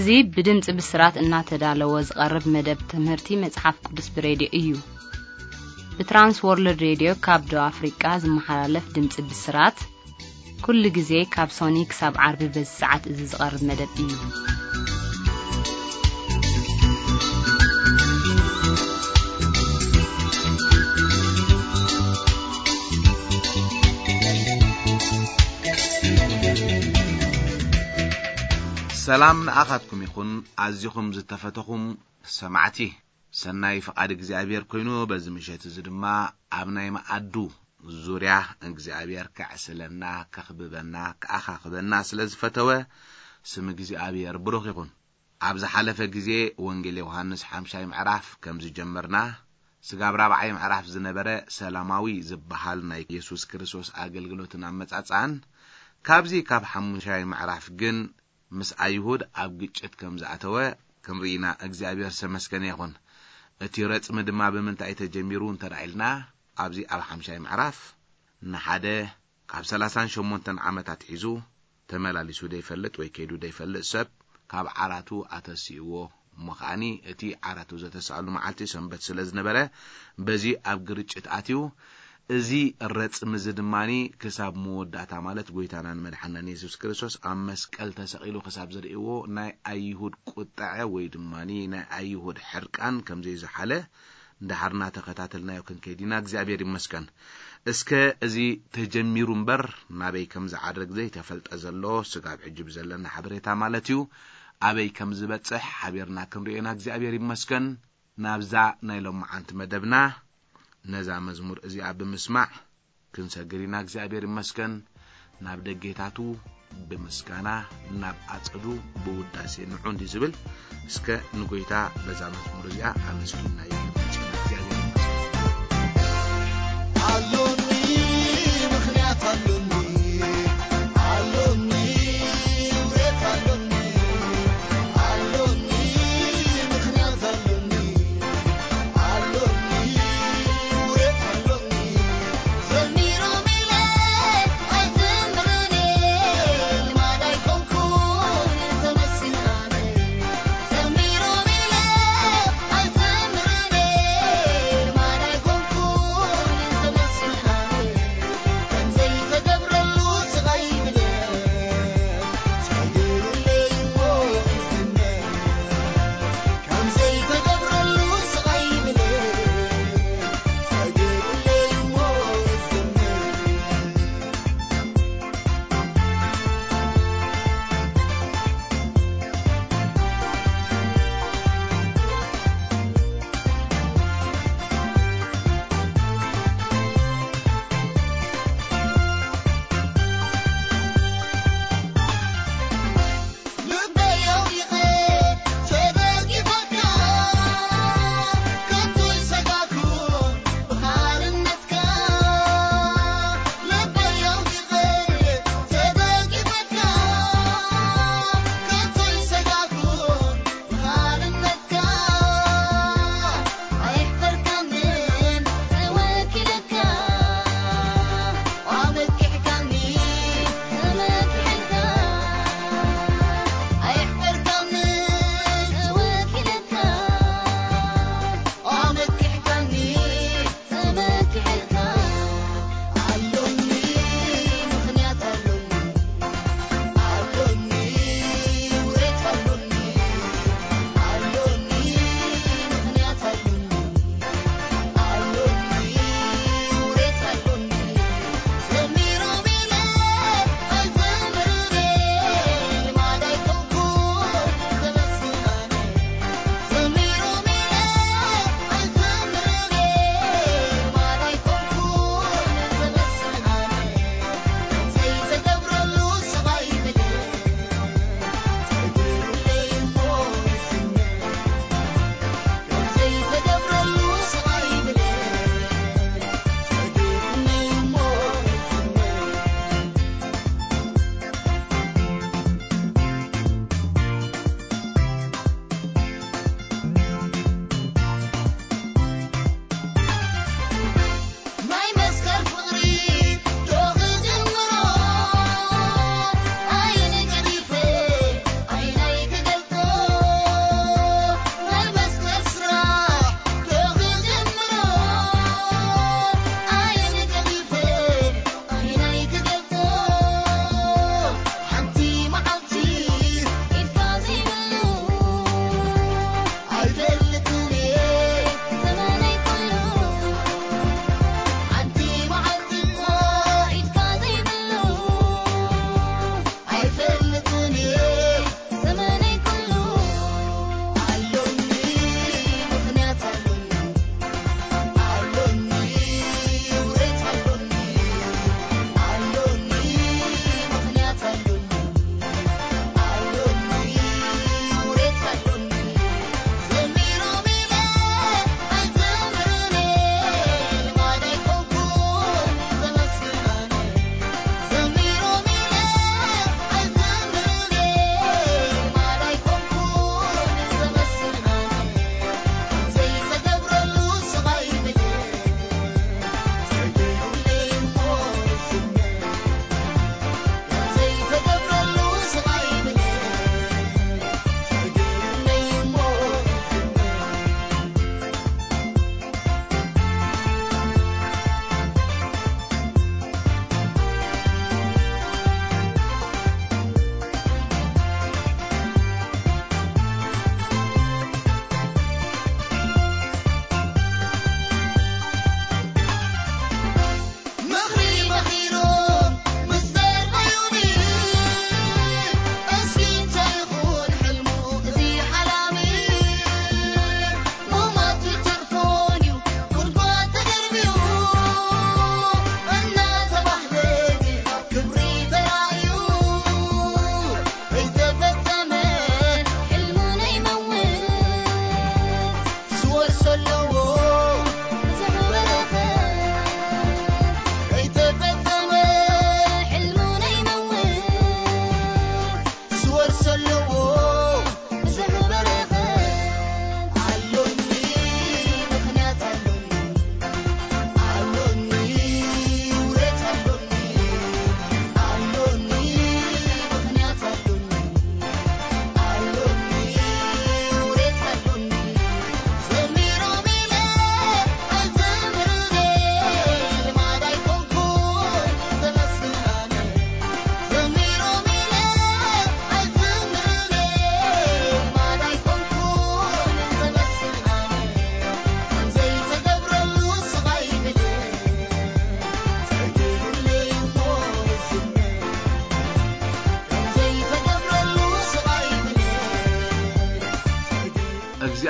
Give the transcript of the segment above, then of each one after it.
እዚ ብድምፂ ብስራት እናተዳለወ ዝቐርብ መደብ ትምህርቲ መፅሓፍ ቅዱስ ብሬድዮ እዩ። ብትራንስ ወርልድ ሬድዮ ካብ ደቡብ ኣፍሪቃ ዝመሓላለፍ ድምፂ ብስራት ኩሉ ግዜ ካብ ሶኒ ክሳብ ዓርቢ በዚ ሰዓት እዚ ዝቐርብ መደብ እዩ። ሰላም ንኣኻትኩም ይኹን፣ ኣዚኹም ዝተፈተኹም ሰማዕቲ። ሰናይ ፍቓድ እግዚኣብሔር ኮይኑ፣ በዚ ምሸት እዚ ድማ ኣብ ናይ መኣዱ ዙርያ እግዚኣብሔር ከዕስለና፣ ከኽብበና፣ ከኣኻኽበና ስለ ዝፈተወ፣ ስም እግዚኣብሔር ብሩኽ ይኹን። ኣብ ዝሓለፈ ግዜ ወንጌል ዮሃንስ ሓምሻይ ምዕራፍ ከም ዝጀመርና፣ ስጋብ ራብዓይ ምዕራፍ ዝነበረ ሰላማዊ ዝበሃል ናይ የሱስ ክርስቶስ ኣገልግሎትን ኣመጻጽኣን፣ ካብዚ ካብ ሓሙሻይ ምዕራፍ ግን ምስ ኣይሁድ ኣብ ግጭት ከም ዝኣተወ ክንርኢ ኢና። እግዚኣብሔር ዝተመስገነ ይኹን። እቲ ረጽሚ ድማ ብምንታይ ተጀሚሩ እንተ ደኣ ኢልና፣ ኣብዚ ኣብ ሓምሻይ ምዕራፍ ንሓደ ካብ ሰላሳን ሸሞንተን ዓመታት ሒዙ ተመላሊሱ ደይፈልጥ ወይ ከይዱ ደይፈልጥ ሰብ ካብ ዓራቱ ኣተሲእዎ። እሞ ከኣኒ እቲ ዓራቱ ዘተሳእሉ መዓልቲ ሰንበት ስለ ዝነበረ፣ በዚ ኣብ ግርጭት ኣትዩ። እዚ ረጽሚ እዚ ድማኒ ክሳብ መወዳእታ፣ ማለት ጎይታናን መድሓናን የሱስ ክርስቶስ ኣብ መስቀል ተሰቒሉ ክሳብ ዝርእይዎ፣ ናይ ኣይሁድ ቁጥዐ ወይ ድማኒ ናይ ኣይሁድ ሕርቃን ከም ዘይዝሓለ፣ እንዳሓርና ተኸታተልናዮ ክንከይድ ኢና። እግዚኣብሔር ይመስገን። እስከ እዚ ተጀሚሩ እምበር ናበይ ከም ዝዓርግ ዘይተፈልጠ ዘሎ፣ ስጋብ ሕጂ ብዘለና ሓበሬታ ማለት እዩ፣ ኣበይ ከም ዝበጽሕ ሓቢርና ክንርእዮ ኢና። እግዚኣብሔር ይመስገን። ናብዛ ናይ ሎማዓንቲ መደብና፣ ነዛ መዝሙር እዚኣ ብምስማዕ ክንሰግር ኢና። እግዚኣብሔር ይመስገን። ናብ ደጌታቱ ብምስጋና፣ ናብ ኣጸዱ ብውዳሴ ንዑ እንዲ ዝብል። እስከ ንጎይታ በዛ መዝሙር እዚኣ ኣመስጊንና ይብል። እግዚኣብሔር ይመስገን። ኣሎኒ፣ ምኽንያት ኣሎኒ፣ ኣሎኒ፣ ውሬት ኣሎኒ፣ ኣሎኒ፣ ምኽንያት ኣሎኒ፣ ኣሎኒ፣ ውሬት ኣሎኒ። ዘሚሮም ኢለ ኣይዝምርን፣ ልማድ ኣይኮንኩን ተመሲለ ኣነ። ዘሚሮም ኢለ ኣይዝምርን፣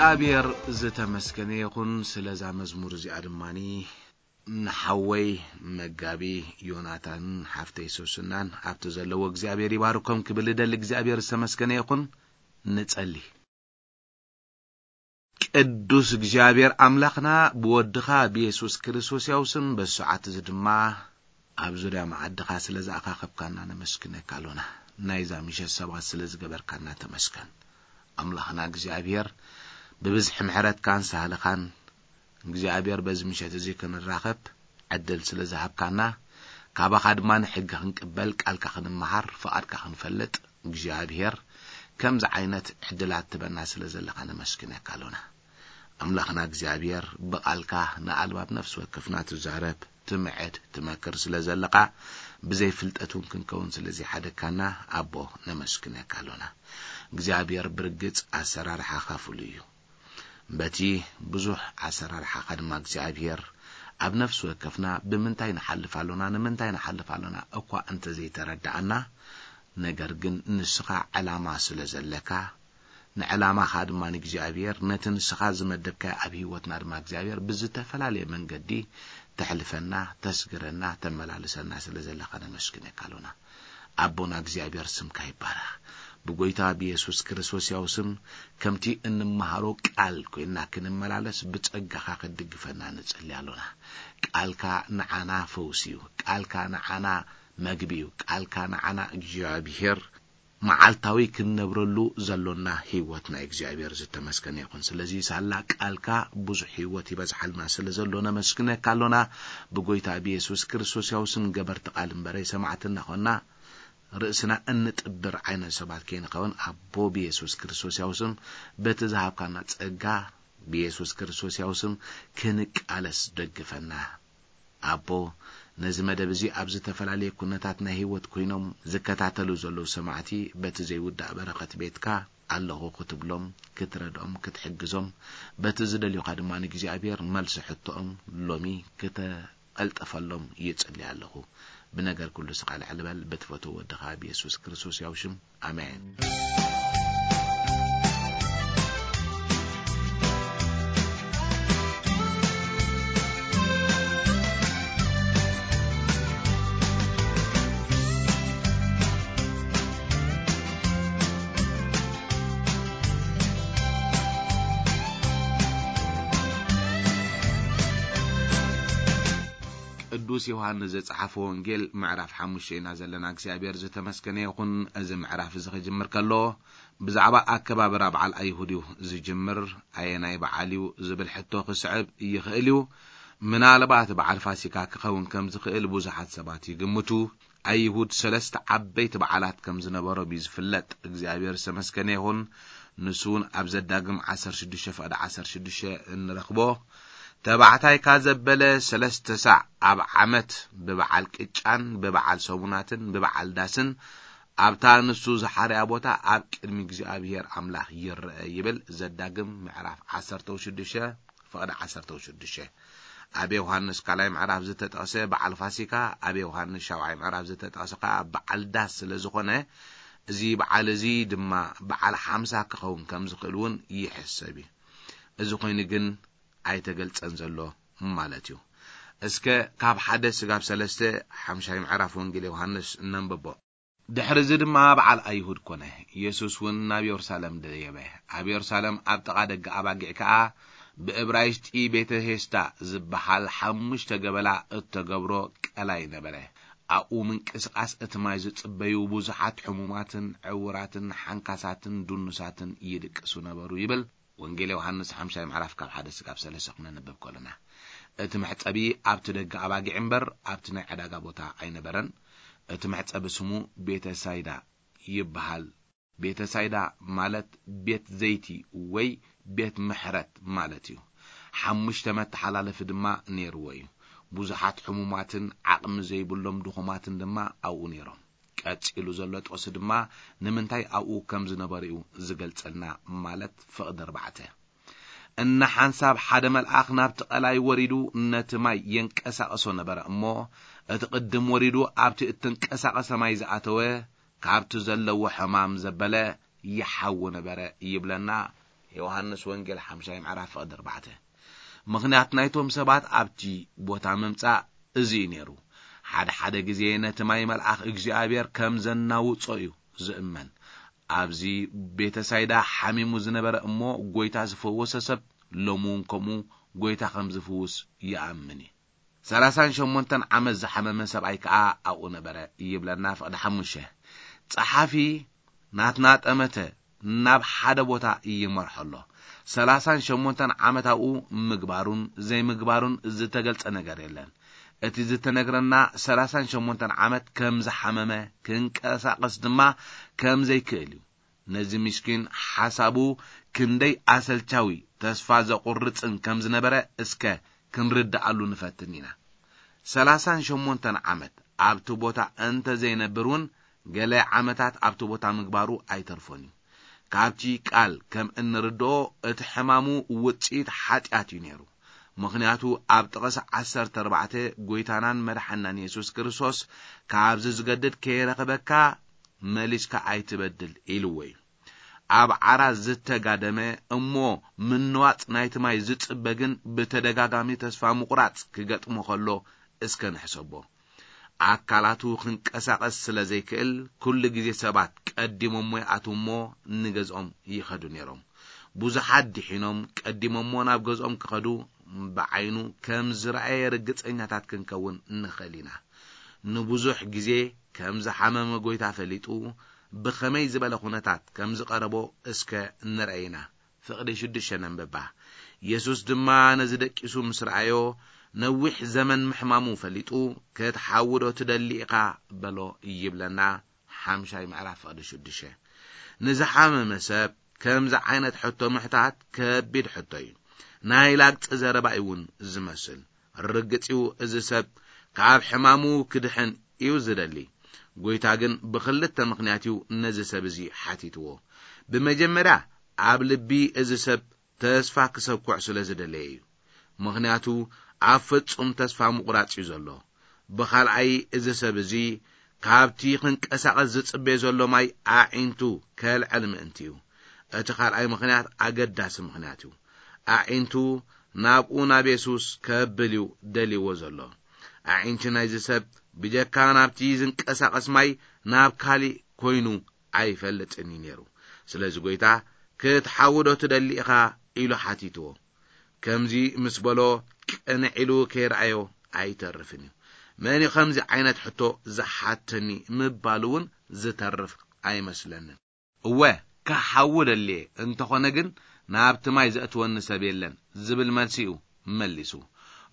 እግዚኣብሔር ዝተመስገነ ይኹን። ስለዛ መዝሙር እዚኣ ድማኒ ንሓወይ መጋቢ ዮናታንን ሓፍተይ ሶስናን ኣብቲ ዘለዎ እግዚኣብሔር ይባርኮም ክብል እደሊ። እግዚኣብሔር ዝተመስገነ ይኹን። ንጸሊ። ቅዱስ እግዚኣብሔር ኣምላኽና፣ ብወድኻ ብየሱስ ክርስቶስ ያው ስም በዚ ሰዓት እዚ ድማ ኣብ ዙርያ መዓድኻ ስለ ዝኣኻኸብካና ነመስግነካ ኣሎና። ናይዛ ምሸት ሰባት ስለ ዝገበርካና ተመስገን። ኣምላኽና እግዚኣብሔር፣ ብብዝሒ ምሕረትካን ሳህልኻን እግዚኣብሔር በዚ ምሸት እዚ ክንራኸብ ዕድል ስለ ዝሃብካና፣ ካባኻ ድማ ንሕጊ ክንቅበል፣ ቃልካ ክንመሃር፣ ፍቓድካ ክንፈልጥ እግዚኣብሔር ከምዚ ዓይነት ዕድላት ትበና ስለ ዘለኻ ነመስግነካ ኣሎና። ኣምላኽና እግዚኣብሔር፣ ብቓልካ ንኣልባብ ነፍሲ ወከፍና ትዛረብ፣ ትምዕድ፣ ትመክር ስለ ዘለኻ፣ ብዘይ ፍልጠት እውን ክንከውን ስለ ዘይሓደግካና ኣቦ ነመስግነካ ኣሎና። እግዚኣብሔር ብርግጽ ኣሰራርሓኻ ፍሉይ እዩ። በቲ ብዙሕ ኣሰራርሓኻ ድማ እግዚኣብሔር ኣብ ነፍሲ ወከፍና ብምንታይ ንሓልፍ ኣሎና፣ ንምንታይ ንሓልፍ ኣሎና እኳ እንተዘይተረድኣና፣ ነገር ግን ንስኻ ዕላማ ስለ ዘለካ፣ ንዕላማኻ ድማ ንእግዚኣብሔር፣ ነቲ ንስኻ ዝመደብካዮ ኣብ ህይወትና ድማ እግዚኣብሔር ብዝተፈላለየ መንገዲ ተሕልፈና፣ ተስግረና፣ ተመላልሰና ስለ ዘለኻ ነመስግነካ ኣሎና። ኣቦና እግዚኣብሔር ስምካ ይባረኽ። ብጎይታ ብየሱስ ክርስቶስ ያው ስም ከምቲ እንመሃሮ ቃል ኮይንና ክንመላለስ ብጸጋኻ ክትድግፈና ንጸሊ ኣሎና። ቃልካ ንዓና ፈውሲ እዩ። ቃልካ ንዓና መግቢ እዩ። ቃልካ ንዓና እግዚኣብሔር መዓልታዊ ክንነብረሉ ዘሎና ህይወት ናይ እግዚኣብሔር ዝተመስገነ ይኹን። ስለዚ ሳላ ቃልካ ብዙሕ ህይወት ይበዝሓልና ስለ ዘሎ ነመስግነካ ኣሎና። ብጎይታ ብየሱስ ክርስቶስ ያው ስም ገበርቲ ቃል እምበረ ሰማዕቲ እናኾንና ርእስና እንጥብር ዓይነት ሰባት ከይንኸውን ኣቦ ብየሱስ ክርስቶስ ያው ስም በቲ ዝሃብካና ጸጋ ብየሱስ ክርስቶስ ያው ስም ክንቃለስ ደግፈና። ኣቦ፣ ነዚ መደብ እዚ ኣብ ዝተፈላለየ ኩነታት ናይ ህይወት ኮይኖም ዝከታተሉ ዘለዉ ሰማዕቲ በቲ ዘይውዳእ በረኸት ቤትካ ኣለኹ ክትብሎም፣ ክትረድኦም፣ ክትሕግዞም፣ በቲ ዝደልዩኻ ድማ ንእግዚኣብሔር መልሲ ሕቶኦም ሎሚ ክተቐልጥፈሎም ይጽሊ ኣለኹ። ብነገር ኩሉ ስኻ ልዕሊ በል፣ ብትፈትዎ ወድኻ ብየሱስ ክርስቶስ ያው ሽም። ኣሜን። ቅዱስ ዮሃንስ ዘጸሓፎ ወንጌል ምዕራፍ ሓሙሽተ ኢና ዘለና። እግዚኣብሔር ዝተመስገነ ይኹን። እዚ ምዕራፍ እዚ ክጅምር ከሎ ብዛዕባ ኣከባብራ በዓል ኣይሁድ እዩ ዝጅምር። ኣየናይ በዓል እዩ ዝብል ሕቶ ክስዕብ ይኽእል እዩ። ምናልባት በዓል ፋሲካ ክኸውን ከም ዝኽእል ብዙሓት ሰባት ይግምቱ። ኣይሁድ ሰለስተ ዓበይቲ በዓላት ከም ዝነበሮም እዩ ዝፍለጥ። እግዚኣብሔር ዝተመስገነ ይኹን። ንሱ እውን ኣብ ዘዳግም ዓሰርተ ሽዱሽተ ፍቕዲ ዓሰርተ ሽዱሽተ እንረኽቦ። ተባዕታይካ ዘበለ ሰለስተ ሳዕ ኣብ ዓመት ብበዓል ቅጫን ብበዓል ሰሙናትን ብበዓል ዳስን ኣብታ ንሱ ዝሓርያ ቦታ ኣብ ቅድሚ እግዚኣብሔር ኣምላኽ ይረአ ይብል። ዘዳግም ምዕራፍ ዓሰርተ ሽዱሽተ ፍቕዲ ዓሰርተ ሽዱሽተ። ኣብ ዮሃንስ ካልኣይ ምዕራፍ ዝተጠቕሰ በዓል ፋሲካ፣ ኣብ ዮሃንስ ሻብዓይ ምዕራፍ ዝተጠቕሰ ከኣ በዓል ዳስ ስለ ዝኾነ፣ እዚ በዓል እዚ ድማ በዓል ሓምሳ ክኸውን ከም ዝኽእል እውን ይሕሰብ እዩ። እዚ ኮይኑ ግን ኣይተገልጸን ዘሎ ማለት እዩ። እስከ ካብ ሓደ ስጋብ ሰለስተ ሓምሻይ ምዕራፍ ወንጌል ዮሃንስ ነንብቦ። ድሕሪ እዚ ድማ በዓል ኣይሁድ ኮነ። የሱስ እውን ናብ የሩሳሌም ደየበ። ኣብ የሩሳሌም ኣብ ጥቓ ደገ ኣባጊዕ ከኣ ብእብራይስጢ ቤተ ሄስታ ዝበሃል ሓሙሽተ ገበላ እተገብሮ ቀላይ ነበረ። ኣብኡ ምንቅስቓስ እቲ ማይ ዝጽበዩ ብዙሓት ሕሙማትን ዕውራትን ሓንካሳትን ድኑሳትን ይድቅሱ ነበሩ ይብል። ወንጌል ዮሃንስ ሓምሻይ ምዕራፍ ካብ ሓደ ስጋብ ሰለስተ ክነንብብ ከሎና፣ እቲ መሕጸቢ ኣብቲ ደገ ኣባጊዕ እምበር ኣብቲ ናይ ዕዳጋ ቦታ ኣይነበረን። እቲ መሕጸቢ ስሙ ቤተ ሳይዳ ይበሃል። ቤተ ሳይዳ ማለት ቤት ዘይቲ ወይ ቤት ምሕረት ማለት እዩ። ሓሙሽተ መተሓላለፊ ድማ ነይርዎ እዩ። ብዙሓት ሕሙማትን ዓቕሚ ዘይብሎም ድኹማትን ድማ ኣብኡ ነይሮም። ቀጺሉ ዘሎ ጥቕሲ ድማ ንምንታይ ኣብኡ ከም ዝነበሩ እዩ ዝገልጸልና፣ ማለት ፍቕዲ ኣርባዕተ። እነ ሓንሳብ ሓደ መልኣኽ ናብቲ ቀላይ ወሪዱ ነቲ ማይ የንቀሳቕሶ ነበረ እሞ፣ እቲ ቅድም ወሪዱ ኣብቲ እተንቀሳቐሰ ማይ ዝኣተወ፣ ካብቲ ዘለዎ ሕማም ዘበለ ይሓዊ ነበረ ይብለና ዮሃንስ ወንጌል ሓምሻይ ምዕራፍ ፍቕዲ ኣርባዕተ። ምኽንያት ናይቶም ሰባት ኣብቲ ቦታ ምምጻእ እዚ እዩ ነይሩ። ሓደ ሓደ ግዜ ነቲ ማይ መልኣኽ እግዚኣብሔር ከም ዘናውጾ እዩ ዝእመን። ኣብዚ ቤተሳይዳ ሓሚሙ ዝነበረ እሞ ጐይታ ዝፈወሰ ሰብ ሎሚ እውን ከምኡ ጐይታ ከም ዝፍውስ ይኣምን እዩ። ሰላሳን ሸሞንተን ዓመት ዝሓመመ ሰብኣይ ከኣ ኣብኡ ነበረ ይብለና ፍቕዲ ሓሙሽተ። ጸሓፊ ናትና ጠመተ ናብ ሓደ ቦታ ይመርሖ ኣሎ። ሰላሳን ሸሞንተን ዓመት ኣብኡ ምግባሩን ዘይምግባሩን ዝተገልጸ ነገር የለን። እቲ ዝተነግረና ሰላሳን ሸሞንተን ዓመት ከም ዝሓመመ፣ ክንቀሳቐስ ድማ ከም ዘይክእል እዩ። ነዚ ምስኪን ሓሳቡ ክንደይ ኣሰልቻዊ፣ ተስፋ ዘቑርጽን ከም ዝነበረ እስከ ክንርድኣሉ ንፈትን ኢና። ሰላሳን ሸሞንተን ዓመት ኣብቲ ቦታ እንተ ዘይነብር እውን፣ ገለ ዓመታት ኣብቲ ቦታ ምግባሩ ኣይተርፎን እዩ። ካብቲ ቃል ከም እንርድኦ፣ እቲ ሕማሙ ውጽኢት ሓጢኣት እዩ ነይሩ። ምኽንያቱ ኣብ ጥቕሲ ዓሰርተ ኣርባዕተ፣ ጐይታናን መድሓናን የሱስ ክርስቶስ፣ "ካብዚ ዝገድድ ከየረኽበካ መሊስካ ኣይትበድል" ኢልዎ እዩ። ኣብ ዓራት ዝተጋደመ እሞ ምንዋጽ ናይቲ ማይ ዝጽበ ግን ብተደጋጋሚ ተስፋ ምቑራጽ ክገጥሞ ከሎ እስከ ንሕሰቦ። ኣካላቱ ክንቀሳቐስ ስለ ዘይክእል፣ ኩሉ ግዜ ሰባት ቀዲሞሞ ይኣትዉ እሞ ንገዝኦም ይኸዱ ነይሮም። ብዙሓት ድሒኖም ቀዲሞሞ ናብ ገዝኦም ክኸዱ ብዓይኑ ከም ዝረኣየ ርግጸኛታት ክንከውን ንኽእል ኢና። ንብዙሕ ግዜ ከም ዝሓመመ ጐይታ ፈሊጡ፣ ብኸመይ ዝበለ ኵነታት ከም ዝቐረቦ እስከ ንርኣይ ኢና። ፍቕዲ ሽዱሽተ ነንብባ። የሱስ ድማ ነዚ ደቂሱ ምስ ረኣዮ፣ ነዊሕ ዘመን ምሕማሙ ፈሊጡ፣ "ክትሓዊ ዶ ትደሊ ኢኻ?" በሎ ይብለና። ሓምሻይ ምዕራፍ ፍቕዲ ሽዱሽተ። ንዝሓመመ ሰብ ከምዚ ዓይነት ሕቶ ምሕታት ከቢድ ሕቶ እዩ። ናይ ላግጺ ዘረባ እዩ እውን ዝመስል። ርግጽ እዩ፣ እዚ ሰብ ካብ ሕማሙ ክድሕን እዩ ዝደሊ። ጐይታ ግን ብኽልተ ምኽንያት እዩ ነዚ ሰብ እዚ ሓቲትዎ። ብመጀመርያ፣ ኣብ ልቢ እዚ ሰብ ተስፋ ክሰኩዕ ስለ ዝደለየ እዩ። ምኽንያቱ፣ ኣብ ፍጹም ተስፋ ምቑራጽ እዩ ዘሎ። ብኻልኣይ፣ እዚ ሰብ እዚ ካብቲ ክንቀሳቐስ ዝጽበዮ ዘሎ ማይ ኣዒንቱ ከልዕል ምእንቲ እዩ። እቲ ካልኣይ ምኽንያት ኣገዳሲ ምኽንያት እዩ። ኣዒንቱ ናብኡ፣ ናብ የሱስ፣ ከብል እዩ ደልይዎ ዘሎ። ኣዒንቲ ናይዚ ሰብ ብጀካ ናብቲ ዝንቀሳቐስ ማይ ናብ ካሊእ ኮይኑ ኣይፈልጥን እዩ ነይሩ። ስለዚ ጐይታ፣ "ክትሓዊ ዶ ትደሊ ኢኻ?" ኢሉ ሓቲትዎ። ከምዚ ምስ በሎ፣ ቅንዕ ኢሉ ከይረኣዮ ኣይተርፍን እዩ። "መን እዩ ከምዚ ዓይነት ሕቶ ዝሓተኒ?" ምባሉ እውን ዝተርፍ ኣይመስለንን። "እወ፣ ክሓዊ ደልየ፣ እንተኾነ ግን ናብቲ ማይ ዘእትወኒ ሰብ የለን" ዝብል መልሲ እዩ መሊሱ።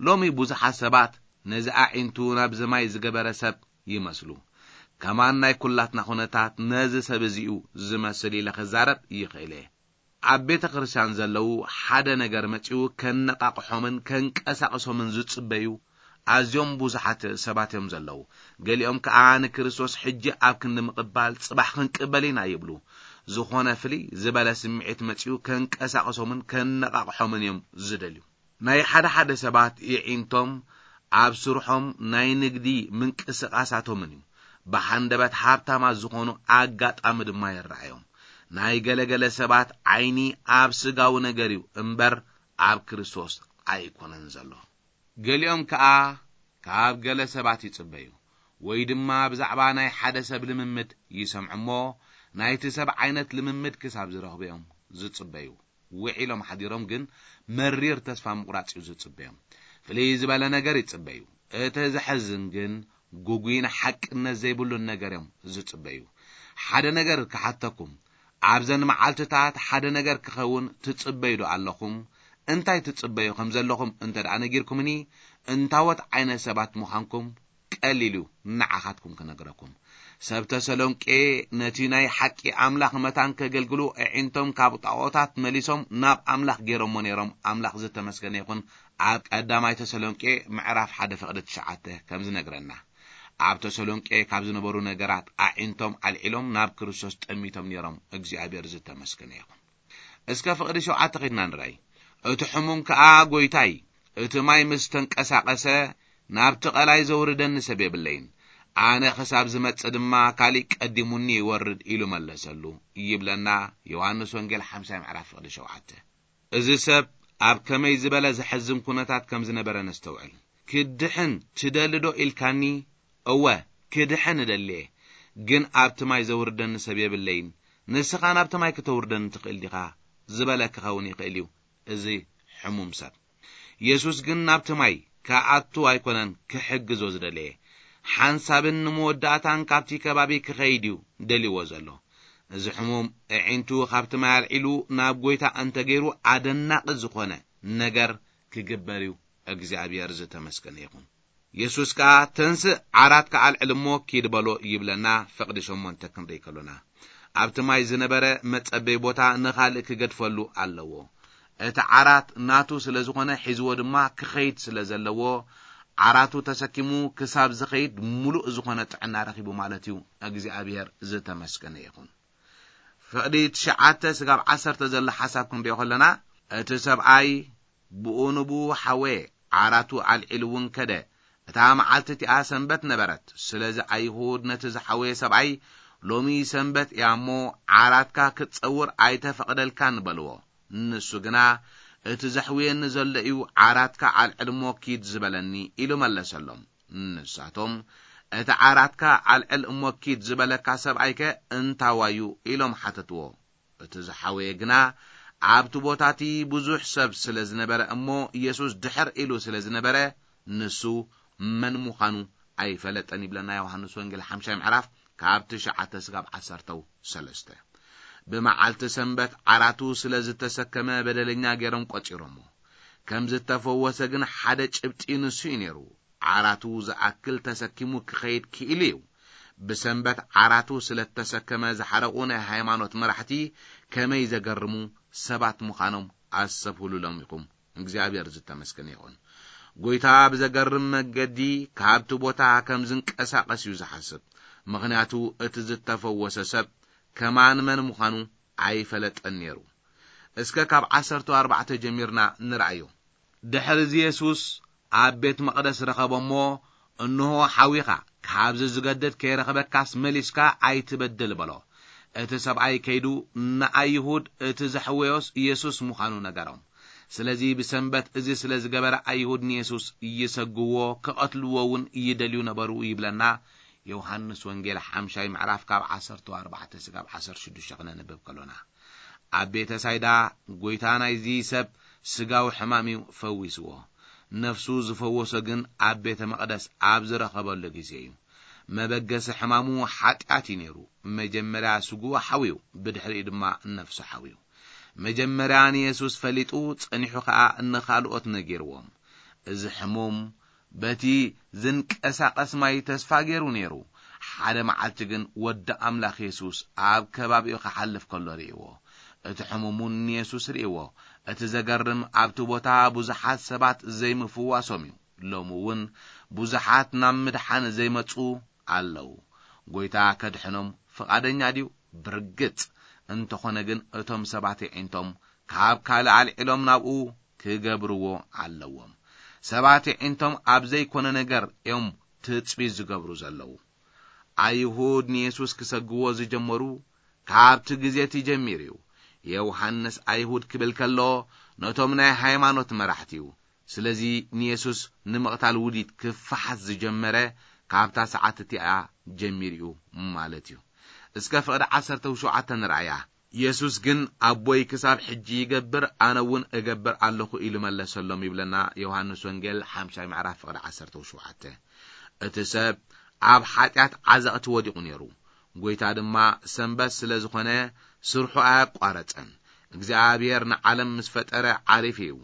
ሎሚ ብዙሓት ሰባት ነዚ ኣዒንቱ ናብዚ ማይ ዝገበረ ሰብ ይመስሉ። ከማን ናይ ኩላትና ኩነታት ነዚ ሰብ እዚ እዩ ዝመስል ኢለ ክዛረብ ይኽእል እየ። ኣብ ቤተ ክርስቲያን ዘለዉ ሓደ ነገር መጺኡ ከነቓቕሖምን ከንቀሳቕሶምን ዝጽበዩ ኣዝዮም ብዙሓት ሰባት እዮም ዘለዉ። ገሊኦም ከኣ ንክርስቶስ ሕጂ ኣብ ክንዲ ምቕባል ጽባሕ ክንቅበል ኢና ይብሉ። ዝኾነ ፍልይ ዝበለ ስምዒት መጺኡ ከንቀሳቕሶምን ከነቓቕሖምን እዮም ዝደልዩ። ናይ ሓደ ሓደ ሰባት የዒንቶም ኣብ ስርሖም፣ ናይ ንግዲ ምንቅስቓሳቶምን እዩ። ብሃንደበት ሃብታማት ዝኾኑ ኣጋጣሚ ድማ ይረኣዮም። ናይ ገለገለ ሰባት ዓይኒ ኣብ ስጋዊ ነገር እዩ እምበር ኣብ ክርስቶስ ኣይኮነን ዘሎ። ገሊኦም ከኣ ካብ ገለ ሰባት ይጽበዩ፣ ወይ ድማ ብዛዕባ ናይ ሓደ ሰብ ልምምድ ይሰምዑ እሞ፣ ናይቲ ሰብ ዓይነት ልምምድ ክሳብ ዝረኽቡ እዮም ዝጽበዩ። ውዒሎም ሓዲሮም ግን መሪር ተስፋ ምቑራጽ እዩ ዝጽበዮም። ፍልይ ዝበለ ነገር ይጽበዩ። እቲ ዘሕዝን ግን ግጉይን ሓቅነት ዘይብሉን ነገር እዮም ዝጽበዩ። ሓደ ነገር ክሓተኩም፣ ኣብዘን መዓልትታት ሓደ ነገር ክኸውን ትጽበዩ ዶ ኣለኹም? እንታይ ትጽበዩ ከም ዘለኹም እንተ ደኣ ነጊርኩምኒ፣ እንታዎት ዓይነት ሰባት ምዃንኩም ቀሊል እዩ ንዓኻትኩም ክነግረኩም። ሰብ ተሰሎንቄ ነቲ ናይ ሓቂ ኣምላኽ መታን ከገልግሉ፣ ኣዒንቶም ካብ ጣዖታት መሊሶም ናብ ኣምላኽ ገይሮሞ ነይሮም። ኣምላኽ ዝተመስገነ ይኹን። ኣብ ቀዳማይ ተሰሎንቄ ምዕራፍ ሓደ ፍቕዲ ትሽዓተ ከም ዝነግረና፣ ኣብ ተሰሎንቄ ካብ ዝነበሩ ነገራት፣ ኣዒንቶም ኣልዒሎም ናብ ክርስቶስ ጠሚቶም ነይሮም። እግዚኣብሔር ዝተመስገነ ይኹን። እስከ ፍቕዲ ሸውዓተ ኸድና ንርኣይ። እቲ ሕሙም ከኣ፣ "ጐይታይ፣ እቲ ማይ ምስ ተንቀሳቐሰ፣ ናብቲ ቐላይ ዘውርደኒ ሰብ የብለይን። ኣነ ክሳብ ዝመጽእ ድማ ካሊእ ቀዲሙኒ ይወርድ ኢሉ መለሰሉ። ይብለና ዮሃንስ ወንጌል ሓምሳይ ምዕራፍ ፍቕዲ ሸውዓተ። እዚ ሰብ ኣብ ከመይ ዝበለ ዘሐዝን ኩነታት ከም ዝነበረ ነስተውዕል። ክድሕን ትደሊ ዶ ኢልካኒ? እወ፣ ክድሕን እደሊ እየ፣ ግን ኣብቲ ማይ ዘውርደኒ ሰብ የብለይን። ንስኻ ናብቲ ማይ ክተውርደኒ ትኽእል ዲኻ? ዝበለ ክኸውን ይኽእል እዩ። እዚ ሕሙም ሰብ። የሱስ ግን ናብቲ ማይ ክኣቱ ኣይኮነን ክሕግዞ ዝደለየ። ሓንሳብን ንመወዳእታን ካብቲ ከባቢ ክኸይድ እዩ ደልዎ ዘሎ። እዚ ሕሙም ኣዒንቱ ካብቲ ማይ ኣልዒሉ ናብ ጎይታ እንተገይሩ ኣደናቒ ዝኾነ ነገር ክግበር እዩ። እግዚኣብሔር ዝተመስገነ ይኹን። የሱስ ከኣ፣ "ተንስእ፣ ዓራትካ ኣልዕል እሞ ኪድ በሎ" ይብለና፣ ፍቕዲ ሸሞንተ ክንርኢ ከሎና። ኣብቲ ማይ ዝነበረ መጸበይ ቦታ ንኻልእ ክገድፈሉ ኣለዎ። እቲ ዓራት ናቱ ስለ ዝኾነ ሒዝዎ ድማ ክኸይድ ስለ ዘለዎ፣ ዓራቱ ተሰኪሙ ክሳብ ዝኸይድ ምሉእ ዝኾነ ጥዕና ረኺቡ ማለት እዩ። እግዚኣብሔር ዝተመስገነ ይኹን። ፍቕዲ ትሽዓተ ስጋብ ዓሰርተ ዘሎ ሓሳብ ክንሪኦ ከለና፣ እቲ ሰብኣይ ብኡ ንብኡ ሓወየ፣ ዓራቱ ኣልዒሉ እውን ከደ። እታ መዓልቲ እቲኣ ሰንበት ነበረት። ስለዚ ኣይሁድ ነቲ ዝሓወየ ሰብኣይ፣ "ሎሚ ሰንበት እያ እሞ፣ ዓራትካ ክትጸውር ኣይተፈቕደልካን" በልዎ። ንሱ ግና፣ "እቲ ዘሕውየኒ ዘሎ እዩ፣ ዓራትካ ኣልዕል እሞ ኪድ ዝበለኒ" ኢሉ መለሰሎም። ንሳቶም፣ "እቲ ዓራትካ ኣልዕል እሞ ኪድ ዝበለካ ሰብኣይከ እንታዋዩ?" ኢሎም ሓተትዎ። እቲ ዝሓወየ ግና፣ ኣብቲ ቦታ እቲ ብዙሕ ሰብ ስለ ዝነበረ እሞ፣ የሱስ ድሕር ኢሉ ስለ ዝነበረ፣ ንሱ መን ምዃኑ ኣይፈለጠን ይብለና ዮሃንስ ወንጌል ሓምሻይ ምዕራፍ ካብ ትሽዓተ ስጋብ ዓሰርተው ሰለስተ። ብመዓልቲ ሰንበት ዓራቱ ስለ ዝተሰከመ በደለኛ ገይሮም ቆጺሮሞ። ከም ዝተፈወሰ ግን ሓደ ጭብጢ ንሱ እዩ ነይሩ። ዓራቱ ዝኣክል ተሰኪሙ ክኸይድ ክኢሉ እዩ። ብሰንበት ዓራቱ ስለ እተሰከመ ዝሓረቑ ናይ ሃይማኖት መራሕቲ ከመይ ዘገርሙ ሰባት ምዃኖም ኣስተብህሉሎም ኢኹም። እግዚኣብሔር ዝተመስገነ ይኹን። ጎይታ ብዘገርም መገዲ ካብቲ ቦታ ከም ዝንቀሳቐስ እዩ ዝሓስብ። ምኽንያቱ እቲ ዝተፈወሰ ሰብ ከማን መን ምዃኑ ኣይፈለጠን ነይሩ። እስከ ካብ ዓሰርተ ኣርባዕተ ጀሚርና ንርኣዮ። ድሕሪ እዚ የሱስ ኣብ ቤት መቕደስ ረኸቦ እሞ፣ "እንሆ ሓዊኻ፣ ካብዚ ዝገድድ ከይረኸበካስ መሊስካ ኣይትበድል" በሎ። እቲ ሰብኣይ ከይዱ ንኣይሁድ እቲ ዘሕወዮስ የሱስ ምዃኑ ነገሮም። ስለዚ ብሰንበት እዚ ስለ ዝገበረ ኣይሁድ ንየሱስ ይሰግዎ፣ ክቐትልዎ እውን ይደልዩ ነበሩ ይብለና ዮሃንስ ወንጌል ሓምሻይ ምዕራፍ ካብ ዓሰርተ ኣርባዕተ ስጋብ ዓሰርተ ሽዱሽተ ክነንብብ ከሎና። ኣብ ቤተ ሳይዳ ጎይታ ናይዚ ሰብ ስጋዊ ሕማም እዩ ፈዊስዎ። ነፍሱ ዝፈወሶ ግን ኣብ ቤተ መቕደስ ኣብ ዝረኸበሉ ግዜ እዩ። መበገሲ ሕማሙ ሓጢኣት እዩ ነይሩ። መጀመርያ ስግኡ ሓውዩ፣ ብድሕሪኡ ድማ ነፍሱ ሓውዩ። መጀመርያ ንየሱስ ፈሊጡ፣ ጸኒሑ ኸኣ ንኻልኦት ነጊርዎም። እዚ ሕሙም በቲ ዝንቀሳቐስ ማይ ተስፋ ገይሩ ነይሩ። ሓደ መዓልቲ ግን ወዲ ኣምላኽ የሱስ ኣብ ከባቢኡ ክሓልፍ ከሎ ርእይዎ። እቲ ሕሙም እውን ንየሱስ ርእይዎ። እቲ ዘገርም ኣብቲ ቦታ ብዙሓት ሰባት ዘይምፍዋሶም እዩ። ሎሚ እውን ብዙሓት ናብ ምድሓን ዘይመጹ ኣለዉ። ጎይታ ከድሕኖም ፍቓደኛ ድዩ? ብርግጽ። እንተኾነ ግን እቶም ሰባት የዒንቶም ካብ ካልእ ኣልዒሎም ናብኡ ክገብርዎ ኣለዎም። ሰባት የዒንቶም ኣብ ዘይኮነ ነገር እዮም ትጽቢት ዝገብሩ ዘለዉ። ኣይሁድ ንየሱስ ክሰግዎ ዝጀመሩ ካብቲ ግዜ እቲ ጀሚሩ እዩ። ዮሃንስ ኣይሁድ ክብል ከሎ ነቶም ናይ ሃይማኖት መራሕቲ እዩ። ስለዚ ንየሱስ ንምቕታል ውዲት ክፈሓስ ዝጀመረ ካብታ ሰዓት እቲኣ ጀሚሩ እዩ ማለት እዩ። እስከ ፍቕዲ ዓሰርተ ሸውዓተ ንርኣያ። የሱስ ግን ኣቦይ ክሳብ ሕጂ ይገብር፣ ኣነ እውን እገብር ኣለኹ ኢሉ መለሰሎም ይብለና ዮሃንስ ወንጌል ሓምሻይ ምዕራፍ ፍቕዲ ዓሰርተ ሸውዓተ። እቲ ሰብ ኣብ ሓጢኣት ዓዘቕቲ ወዲቑ ነይሩ። ጎይታ ድማ ሰንበት ስለ ዝኾነ ስርሑ ኣያቋረጸን። እግዚኣብሔር ንዓለም ምስ ፈጠረ ዓሪፉ እዩ።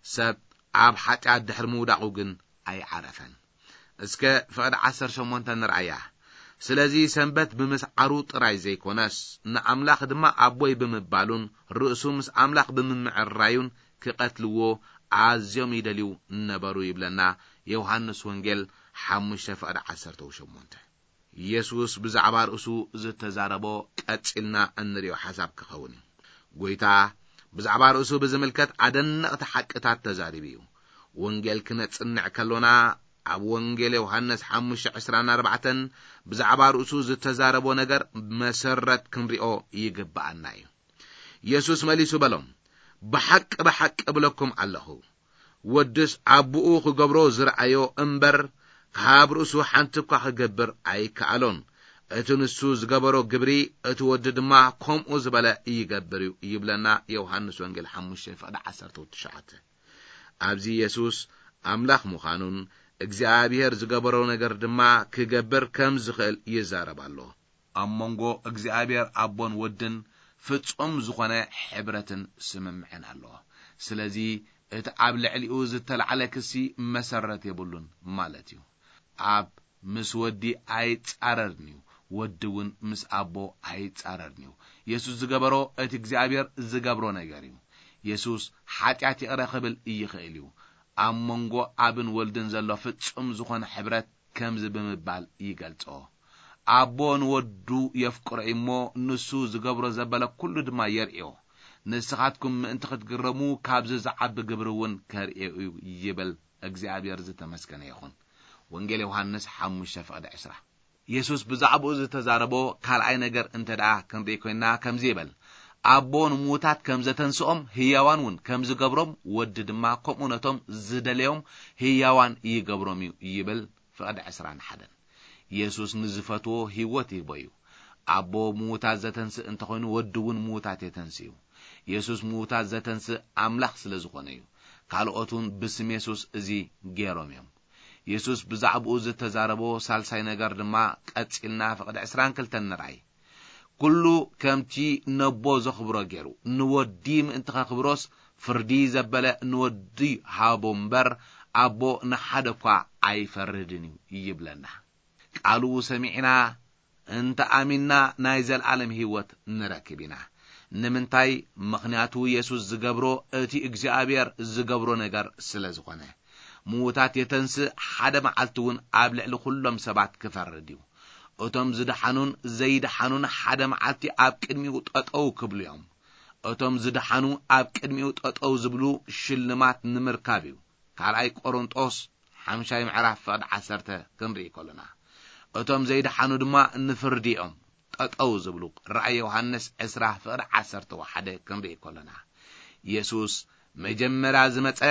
ሰብ ኣብ ሓጢኣት ድሕሪ ምውዳቑ ግን ኣይዓረፈን። እስከ ፍቕዲ ዓሰርተ ሸሞንተ ንርኣያ። ስለዚ ሰንበት ብምስዓሩ ጥራይ ዘይኮነስ፣ ንኣምላኽ ድማ ኣቦይ ብምባሉን ርእሱ ምስ ኣምላኽ ብምምዕራዩን ክቐትልዎ ኣዝዮም ይደልዩ ነበሩ ይብለና ዮሃንስ ወንጌል ሓሙሽተ ፍቕዲ ዓሰርተ ሸሞንተ። የሱስ ብዛዕባ ርእሱ ዝተዛረቦ ቀጺልና እንሪኦ ሓሳብ ክኸውን እዩ። ጎይታ ብዛዕባ ርእሱ ብዝምልከት ኣደነቕቲ ሓቅታት ተዛሪቡ እዩ። ወንጌል ክነጽንዕ ከሎና ኣብ ወንጌል ዮሃንስ ሓሙሽተ ዕስራን ኣርባዕተን ብዛዕባ ርእሱ ዝተዛረቦ ነገር መሰረት ክንሪኦ ይግብኣና እዩ። የሱስ መሊሱ በሎም፣ "ብሓቂ፣ ብሓቂ እብለኩም ኣለኹ፣ ወድስ ኣቦኡ ክገብሮ ዝረኣዮ እምበር፣ ካብ ርእሱ ሓንቲ እኳ ክገብር ኣይከኣሎን። እቲ ንሱ ዝገበሮ ግብሪ፣ እቲ ወዲ ድማ ከምኡ ዝበለ ይገብር እዩ" ይብለና ዮሃንስ ወንጌል ሓሙሽተ ፍቕዲ ዓሰርተ ትሽዓተ። ኣብዚ የሱስ ኣምላኽ ምዃኑን እግዚኣብሔር ዝገበሮ ነገር ድማ ክገብር ከም ዝኽእል ይዛረብ ኣሎ። ኣብ መንጎ እግዚኣብሔር ኣቦን ወድን ፍጹም ዝኾነ ሕብረትን ስምምዕን ኣሎ። ስለዚ እቲ ኣብ ልዕሊኡ ዝተላዕለ ክሲ መሰረት የብሉን ማለት እዩ። ኣብ ምስ ወዲ ኣይጻረርን እዩ፣ ወዲ እውን ምስ ኣቦ ኣይጻረርን እዩ። የሱስ ዝገበሮ እቲ እግዚኣብሔር ዝገብሮ ነገር እዩ። የሱስ ሓጢኣት ይቕረ ክብል ይኽእል እዩ። ኣብ መንጎ ኣብን ወልድን ዘሎ ፍጹም ዝኾነ ሕብረት ከምዚ ብምባል ይገልጾ፣ "ኣቦ ንወዱ የፍቅሮ እዩ እሞ፣ ንሱ ዝገብሮ ዘበለ ኩሉ ድማ የርእዮ። ንስኻትኩም ምእንቲ ክትግረሙ፣ ካብዚ ዝዓቢ ግብሪ እውን ከርእዮ እዩ" ይብል። እግዚኣብሔር ዝተመስገነ ይኹን። ወንጌል ዮሃንስ ሓሙሽተ ፍቕዲ ዕስራ። የሱስ ብዛዕባኡ ዝተዛረቦ ካልኣይ ነገር እንተ ደኣ ክንርኢ ኮይንና፣ ከምዚ ይብል፣ "ኣቦ ንምዉታት ከም ዘተንስኦም፣ ህያዋን እውን ከም ዝገብሮም፣ ወዲ ድማ ከምኡ ነቶም ዝደለዮም ህያዋን ይገብሮም እዩ" ይብል። ፍቕዲ ዕስራን ሓደን። የሱስ ንዝፈትዎ ህይወት ይህቦ እዩ። ኣቦ ምዉታት ዘተንስእ እንተኾይኑ፣ ወዲ እውን ምዉታት የተንስእ እዩ። የሱስ ምዉታት ዘተንስእ ኣምላኽ ስለ ዝኾነ እዩ። ካልኦት እውን ብስም የሱስ እዚ ገይሮም እዮም። የሱስ ብዛዕባኡ ዝተዛረቦ ሳልሳይ ነገር ድማ ቀጺልና ፍቕዲ ዕስራን ክልተን ንርኣይ። "ኩሉ ከምቲ ነቦ ዘኽብሮ ገይሩ፣ ንወዲ ምእንቲ ኸኽብሮስ፣ ፍርዲ ዘበለ ንወዲ ሃቦ እምበር፣ ኣቦ ንሓደ እኳ ኣይፈርድን እዩ" ይብለና። ቃሉ ሰሚዕና እንተ ኣሚንና፣ ናይ ዘለኣለም ህይወት ንረክብ ኢና። ንምንታይ? ምኽንያቱ የሱስ ዝገብሮ እቲ እግዚኣብሔር ዝገብሮ ነገር ስለ ዝኾነ። ምዉታት የተንስእ፣ ሓደ መዓልቲ እውን ኣብ ልዕሊ ኩሎም ሰባት ክፈርድ እዩ። እቶም ዝደሓኑን ዘይደሓኑን ሓደ መዓልቲ ኣብ ቅድሚኡ ጠጠው ክብሉ እዮም። እቶም ዝደሓኑ ኣብ ቅድሚኡ ጠጠው ዝብሉ ሽልማት ንምርካብ እዩ። ካልኣይ ቆሮንጦስ ሓምሻይ ምዕራፍ ፍቕዲ ዓሰርተ ክንርኢ ከሎና፣ እቶም ዘይደሓኑ ድማ ንፍርዲ እዮም ጠጠው ዝብሉ። ራእይ ዮሃንስ ዕስራ ፍቕዲ ዓሰርተ ሓደ ክንርኢ ከሎና፣ የሱስ መጀመርያ ዝመጸ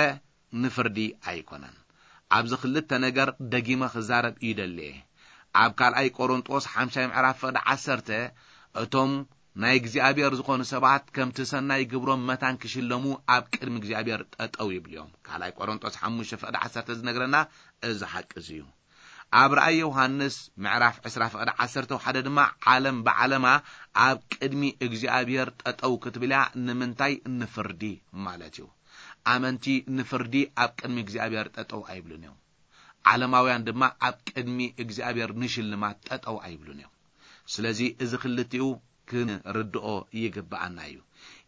ንፍርዲ ኣይኮነን። ኣብዚ ክልተ ነገር ደጊመ ክዛረብ ይደሊ እየ። ኣብ ካልኣይ ቆሮንጦስ ሓምሻይ ምዕራፍ ፍቕዲ ዓሰርተ፣ እቶም ናይ እግዚኣብሔር ዝኾኑ ሰባት ከምቲ ሰናይ ግብሮም መታን ክሽለሙ ኣብ ቅድሚ እግዚኣብሔር ጠጠው ይብሉ እዮም። ካልኣይ ቆሮንጦስ ሓሙሽተ ፍቕዲ ዓሰርተ ዝነግረና እዚ ሓቂ እዚ እዩ። ኣብ ራእይ ዮሃንስ ምዕራፍ ዕስራ ፍቕዲ ዓሰርተ ሓደ ድማ፣ ዓለም ብዓለማ ኣብ ቅድሚ እግዚኣብሔር ጠጠው ክትብል እያ። ንምንታይ? ንፍርዲ ማለት እዩ። ኣመንቲ ንፍርዲ ኣብ ቅድሚ እግዚኣብሔር ጠጠው ኣይብሉን እዮም። ዓለማውያን ድማ ኣብ ቅድሚ እግዚኣብሔር ንሽልማት ጠጠው ኣይብሉን እዮም። ስለዚ እዚ ክልቲኡ ክንርድኦ ይግብኣና እዩ።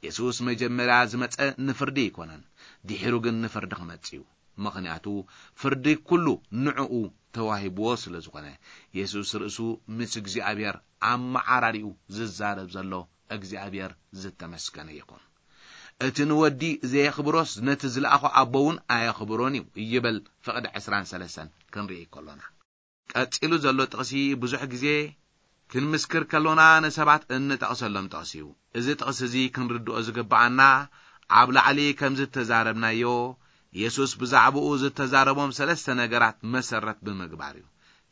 የሱስ መጀመርያ ዝመጸ ንፍርዲ ኣይኮነን፣ ድሒሩ ግን ንፍርዲ ክመጽእ እዩ። ምኽንያቱ ፍርዲ ኩሉ ንዕኡ ተዋሂብዎ ስለ ዝኾነ፣ የሱስ ርእሱ ምስ እግዚኣብሔር ኣመዓራሪኡ ዝዛረብ ዘሎ እግዚኣብሔር ዝተመስገነ ይኹን። እቲ ንወዲ ዘየኽብሮስ ነቲ ዝለኣኾ ኣቦ እውን ኣየኽብሮን እዩ ይብል ፍቕዲ ዕስራን ሰለስተን ክንርኢ ከሎና። ቀጺሉ ዘሎ ጥቕሲ ብዙሕ ግዜ ክንምስክር ከሎና ንሰባት እንጠቕሰሎም ጥቕሲ እዩ። እዚ ጥቕሲ እዚ ክንርድኦ ዝግብኣና ኣብ ላዕሊ ከም ዝተዛረብናዮ የሱስ ብዛዕባኡ ዝተዛረቦም ሰለስተ ነገራት መሰረት ብምግባር እዩ።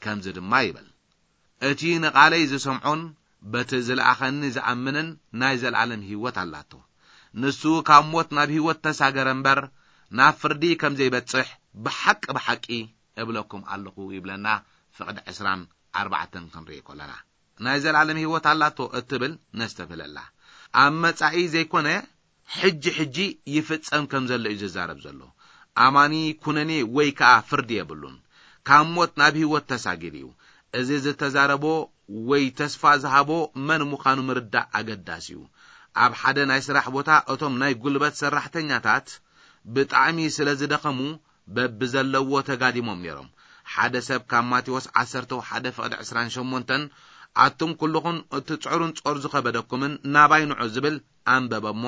ከምዚ ድማ ይብል፣ "እቲ ንቓለይ ዝሰምዖን በቲ ዝለኣኸኒ ዝኣምንን ናይ ዘለኣለም ህይወት ኣላቶ። ንሱ ካብ ሞት ናብ ህይወት ተሳገረ እምበር ናብ ፍርዲ ከም ዘይበጽሕ ብሓቂ ብሓቂ እብለኩም ኣለኹ" ይብለና። ፍቕዲ ዕስራን ኣርባዕተን ክንርኢ ከለና፣ ናይ ዘለኣለም ህይወት ኣላቶ እትብል ነስተብህለላ። ኣብ መጻኢ ዘይኮነ ሕጂ ሕጂ ይፍጸም ከም ዘሎ እዩ ዝዛረብ ዘሎ። ኣማኒ ኩነኔ ወይ ከኣ ፍርዲ የብሉን። ካብ ሞት ናብ ህይወት ተሳጊሩ እዩ። እዚ ዝተዛረቦ ወይ ተስፋ ዝሃቦ መን ምዃኑ ምርዳእ ኣገዳሲ እዩ። ኣብ ሓደ ናይ ስራሕ ቦታ እቶም ናይ ጉልበት ሰራሕተኛታት ብጣዕሚ ስለ ዝደኸሙ በብዘለዎ ተጋዲሞም ነይሮም። ሓደ ሰብ ካብ ማቴዎስ ዓሰርተ ሓደ ፍቕዲ ዕስራን ሸሞንተን፣ "ኣቱም ኩልኹም እትጽዕሩን ጾር ዝኸበደኩምን ናባይ ንዑ" ዝብል ኣንበበ እሞ፣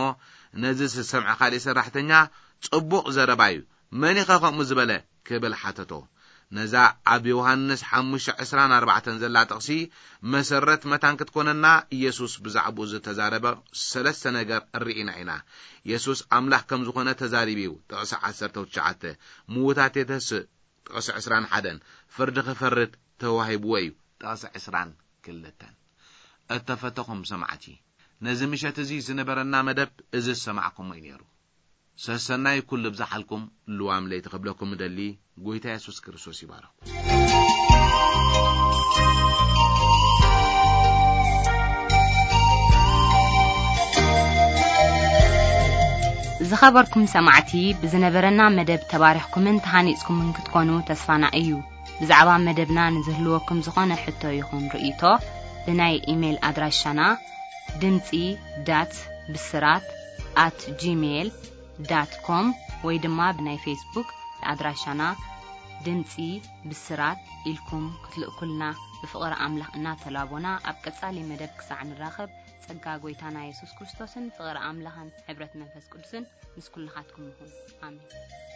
ነዚ ዝሰምዐ ካልእ ሰራሕተኛ፣ "ጽቡቕ ዘረባ እዩ፣ መን ኢኸ ከምኡ ዝበለ?" ክብል ሓተቶ። ነዛ ኣብ ዮሃንስ ሓሙሽተ ዕስራን ኣርባዕተን ዘላ ጥቕሲ መሰረት መታን ክትኮነና፣ ኢየሱስ ብዛዕባኡ ዝተዛረበ ሰለስተ ነገር ርኢና ኢና። ኢየሱስ ኣምላኽ ከም ዝኾነ ተዛሪቡ እዩ። ጥቕሲ ዓሰርተ ትሽዓተ፣ ምዉታት የተስእ፣ ጥቕሲ ዕስራን ሓደን፣ ፍርዲ ክፈርድ ተዋሂብዎ እዩ። ጥቕሲ ዕስራን ክልተን። እተፈተኹም ሰማዕቲ፣ ነዚ ምሸት እዚ ዝነበረና መደብ እዚ ዝሰማዕኩሞ እዩ ነይሩ። ሰሰናይ ኩሉ ብዝሓልኩም ልዋም ለይቲ ክብለኩም እደሊ። ጎይታ የሱስ ክርስቶስ ይባረኹ። ዝኸበርኩም ሰማዕቲ፣ ብዝነበረና መደብ ተባሪኽኩምን ተሃኒጽኩምን ክትኮኑ ተስፋና እዩ። ብዛዕባ መደብና ንዝህልወኩም ዝኾነ ሕቶ ይኹን ርእይቶ፣ ብናይ ኢሜይል ኣድራሻና ድምጺ ዳት ብስራት ኣት ጂሜይል ዳት ኮም ወይ ድማ ብናይ ፌስቡክ ኣድራሻና ድምጺ ብስራት ኢልኩም ክትልእኩልና ብፍቕሪ ኣምላኽ እናተላቦና፣ ኣብ ቀጻሊ መደብ ክሳዕ ንራኸብ፣ ጸጋ ጎይታና የሱስ ክርስቶስን ፍቕሪ ኣምላኽን ሕብረት መንፈስ ቅዱስን ምስ ኩልኻትኩም ይኹን። ኣሜን።